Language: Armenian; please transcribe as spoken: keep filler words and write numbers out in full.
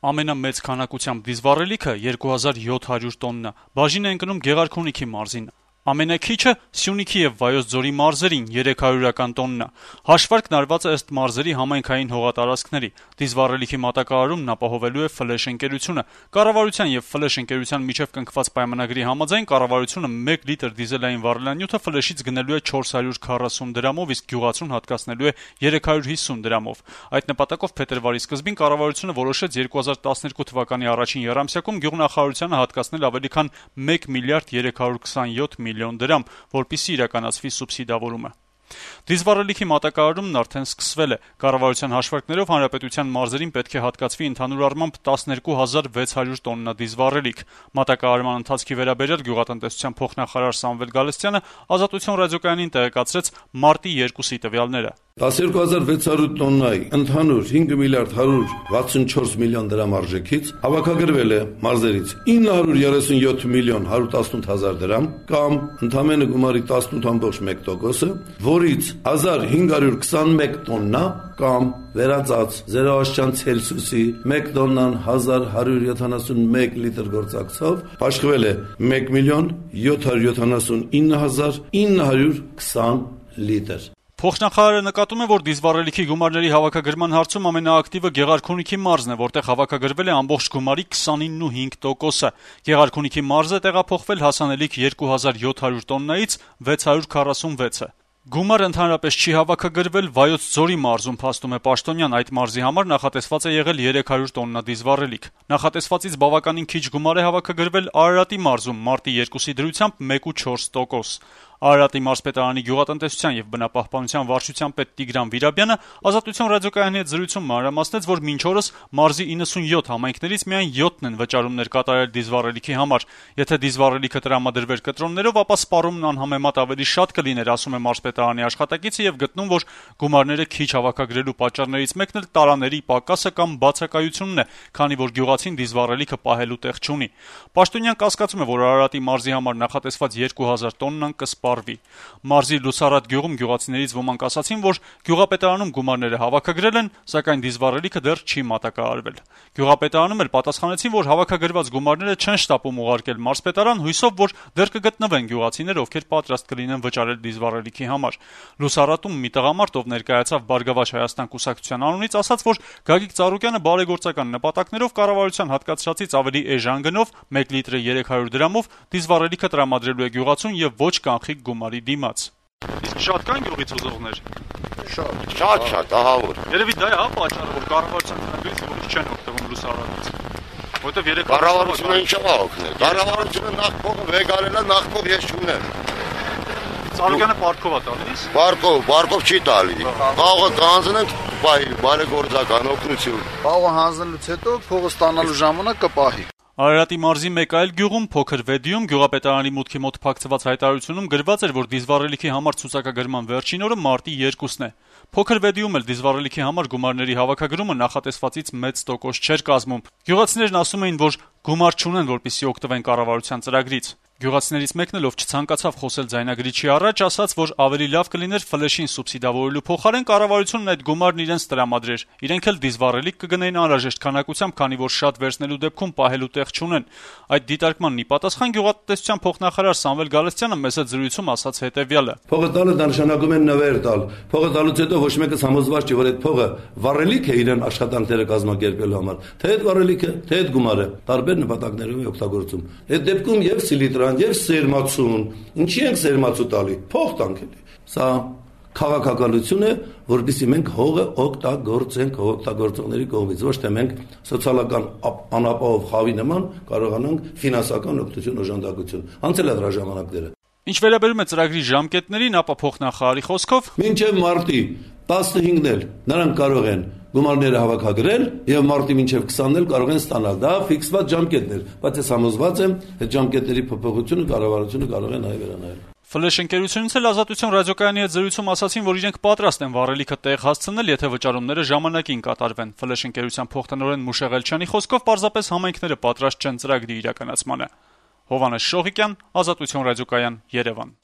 Ամենամեծ քանակությամբ դիզվառելիքը երկու հազար յոթ հարյուր տոննա, բաժին է ընկնում Գեղարքունիքի մարզին։ Ամենաքիչը Սյունիքի եւ Վայոց ձորի մարզերին երեք հարյուրական տոննա։ Հաշվարկն արված է ըստ մարզերի համայնքային հողատարածքների։ Դիզվառելիքի մատակարարումն ապահովելու է Ֆլեշ ընկերությունը։ Կառավարության եւ Ֆլեշ ընկերության միջև կնքված պայմանագրի համաձայն կառավարությունը մեկ լիտր դիզելային վառելանյութը Ֆլեշից գնելու է չորս հարյուր քառասուն դրամով, իսկ գյուղացուն հատկացնելու է երեք հարյուր հիսուն դրամով։ Այդ նպատակով փետրվարի սկզբին կառավարությունը որոշեց երկու հազար տասներկու թվականի առաջին եռամսյակում գյուղնախարարությանը հատկացնել ավելի քան մեկ միլիարդ երեք հարյուր քսանյոթ միլիոն դրամ, որպեսզի իրականացվի սուբսիդավորումը։ Դիզվառելիքի մատակարարումն արդեն սկսվել է։ Կառավարության հաշվարկներով հանրապետության մարզերին պետք է հատկացվի ընդհանուր առմամբ տասներկու հազար վեց հարյուր տոննա դիզվառելիք։ Մատակարարման ընթացքի վերաբերյալ գյուղատնտեսության փոխնախարար Սամվել Գալստյանը Ազատություն ռադիոկայանին տեղեկացրեց մարտի երկուսի տվյալները։ տասներկու հազար վեց հարյուր տոննայի ընդհանուր հինգ միլիարդ հարյուր վաթսունչորս միլիոն դրամ արժեքից հավաքագրվել է մարզերից ինը հարյուր երեսունյոթ միլիոն հարյուր տասնութ հազար դրամ կամ ընդամենը գումարի տասնութ ամբողջ մեկ տոկոսը, որից հազար հինգ հարյուր քսանմեկ տոննա կամ վերածած զերոաստիճան Ցելսիուսի մեկ տոննան հազար հարյուր յոթանասունմեկ լիտր գործակցով աշխվել է մեկ միլիոն յոթ հարյուր յոթանասունինը հազար ինը հարյուր քսան լիտր։ Փոխնախարարը նկատում է, որ դիզվառելիքի գումարների հավաքագրման հարցում ամենաակտիվը Գեղարքունիքի մարզն է, որտեղ հավաքագրվել է ամբողջ գումարի քսանինը ու հինգ տոկոսը։ Գեղարքունիքի մարզը տեղափոխվել հասանելիք երկու հազար յոթ հարյուր տոննայից վեց հարյուր քառասունվեցը։ Գումարը ընդհանրապես չի հավաքագրվել Վայոց ձորի մարզում, փաստում է Պաշտոնյան, այդ մարզի համար նախատեսված է եղել երեք հարյուր տոննա դիզվառելիք։ Նախատեսվածից բավականին քիչ գումար է հավաքագրվել Արարատի մարզում, մարտի երկուսի դրությամբ մեկ ու չորս տոկոս։ Արարատի մարզպետարանի գյուղատնտեսության եւ բնապահպանության վարչության պետ Տիգրան Վիրաբյանը Ազատություն ռադիոկայանի հետ զրույցում մանրամասնեց, որ մինչ օրս մարզի իննսունյոթ համայնքներից միայն յոթն են վճարումներ կատարել դիզվառելիքի համար։ Եթե դիզվառելիքը տրամադրվեր կտրոններով, ապա սպառումն անհամեմատ ավելի շատ կլիներ, ասում է մարզպետարանի աշխատակիցը եւ գտնում, որ գումարները քիչ հավաքագրելու պատճառներից մեկն էլ տարաների պակասը կամ բացակայությունն է, քանի որ գյուղացին դիզվառելիքը պահելու տեղ չունի։ Պաշտոնյան կասկածում է, որ Արարատի մարզի համար նախատեսված երկու հազար տոննան կսպառվի։ Մարզի Լուսարատ գյուղում գյուղացիներից ոմանք ասացին, որ գյուղապետարանում գումարները հավաքագրել են, սակայն դիզվառելիքը դեռ չի մատակարարվել։ Գյուղապետարանում էլ պատասխանեցին, որ հավաքագրված գումարները չեն շտապում ուղարկել մարզպետարան, հույսով, որ դեռ կգտնվեն գյուղացիներ, ովքեր պատրաստ կլինեն վճարել դիզվառելիքի համար։ Լուսարատում մի տղամարդ, ով ներկայացավ Բարգավաճ Հայաստան կուսակցության անունից, ասաց, որ Գագիկ Ծառուկյանը բարեգործական նպատակներով կառավարության հատկացրածից ավելի էժան գնով մեկ լիտրը երեք հարյուր դրամով դիզվառելիքը տրամադրելու է գյուղացուն եւ ոչ կանխիկ գումարի դիմաց։ Իսկ շատ կան գյուղից ուզողներ։ Շատ, շատ, շատ, ահա որ։ Երևի դա է հա պատճառը, որ կառավարության տնօրեններից որոշ չեն օգտվում Լուսարատից։ Որտեւ երեք կառավարությունը ինչա օգնել։ Կառավարությունը նախ փողը վեգարելա, նախ փող ես չունեմ։ Ծառուկյանը պարկով է տալիս։ Պարկով, պարկով չի տալի։ Խաղը կանցնենք պահի, բարեգործական օգնություն։ Խաղը հանձնելուց հետո փողը ստանալու ժամանակ կպահի։ Արարատի մարզի մեկ այլ գյուղում փոքր Վեդիում գյուղապետարանի մուտքի մոտ փակցված հայտարարությունում գրված էր, որ դիզվառելիքի համար ցուցակագրման վերջին օրը մարտի երկուսն է։ Փոքր Վեդիում էլ դիզվառելիքի համար գումարների հավաքագրումը նախատեսվածից մեծ տոկոս չէր կազմում։ Գյուղացիներն ասում էին, որ գումար չունեն, որպեսզի օգտվեն կառավարության ծրագրից։ Գյուղացիներից մեկն էլ, ով չցանկացավ խոսել ձայնագրիչի առաջ, ասաց, որ ավելի լավ կլիներ Ֆլեշին սուբսիդավորելու փոխարեն կառավարությունն այդ գումարն իրենց տրամադրեր։ Իրենք էլ դիզվառելիք կգնեին անհրաժեշտ քանակությամբ, քանի որ շատ վերցնելու դեպքում պահելու տեղ չունեն։ Այդ դիտարկմանն ի պատասխան գյուղատնտեսության փոխնախարար Սամվել Գալստյանը մեծ հետ զրույցում ասաց հետեւյալը. Փողը տալը դա նշանակում է նվեր տալ։ Փողը տալուց հետո ոչ մեկը համոզված չի, որ այդ փողը վառելիք է իրեն աշխատանքները կազմակերպելու համար, թե այդ վառելիքը, թե այդ գումարը տարբեր նպատակներով է օգտագործում։ Այդ դեպքում եւ սիլիտրան եւ սերմացուն, ինչի են սերմացու տալի, փող տանք էլի։ Սա քաղաքականություն է, որովհետեւ մենք հողը օգտագործենք օգտագործողների կողմից, ոչ թե մենք սոցիալական անապահով խավի նման կարողանանք ֆինանսական օգնություն օժանդակություն։ Անցել է դրա ժամանակները։ Ինչ վերաբերում է ծրագրի ժամկետներին, ապա փոխնախարարի խոսքով մինչև մարտի տասնհինգն էլ նրանք կարող են գումարները հավաքագրել եւ մարտի մինչև քսանն էլ կարող են ստանալ։ Դա ֆիքսված ժամկետներ, բայց ես համոզված եմ, այդ ժամկետների փոփոխությունը կառավարությունը կարող է նաեւ վերանայել։ Ֆլեշ ընկերությունից էլ Ազատություն ռադիոկայանի հետ զրույցում ասացին, որ իրենք պատրաստ են վառելիքը տեղ հասցնել, եթե վճարումները ժամանակին կատարվեն։ Ֆլեշ ընկերության փոխտնօրեն Մուշեղ Էլչյանի խոսքով պարզապես համայնքները պատրաստ չեն ծրագրի իրականացմանը։ Հովհաննես Շողիկյան, Ազատություն ռադիոկայան, Երևան։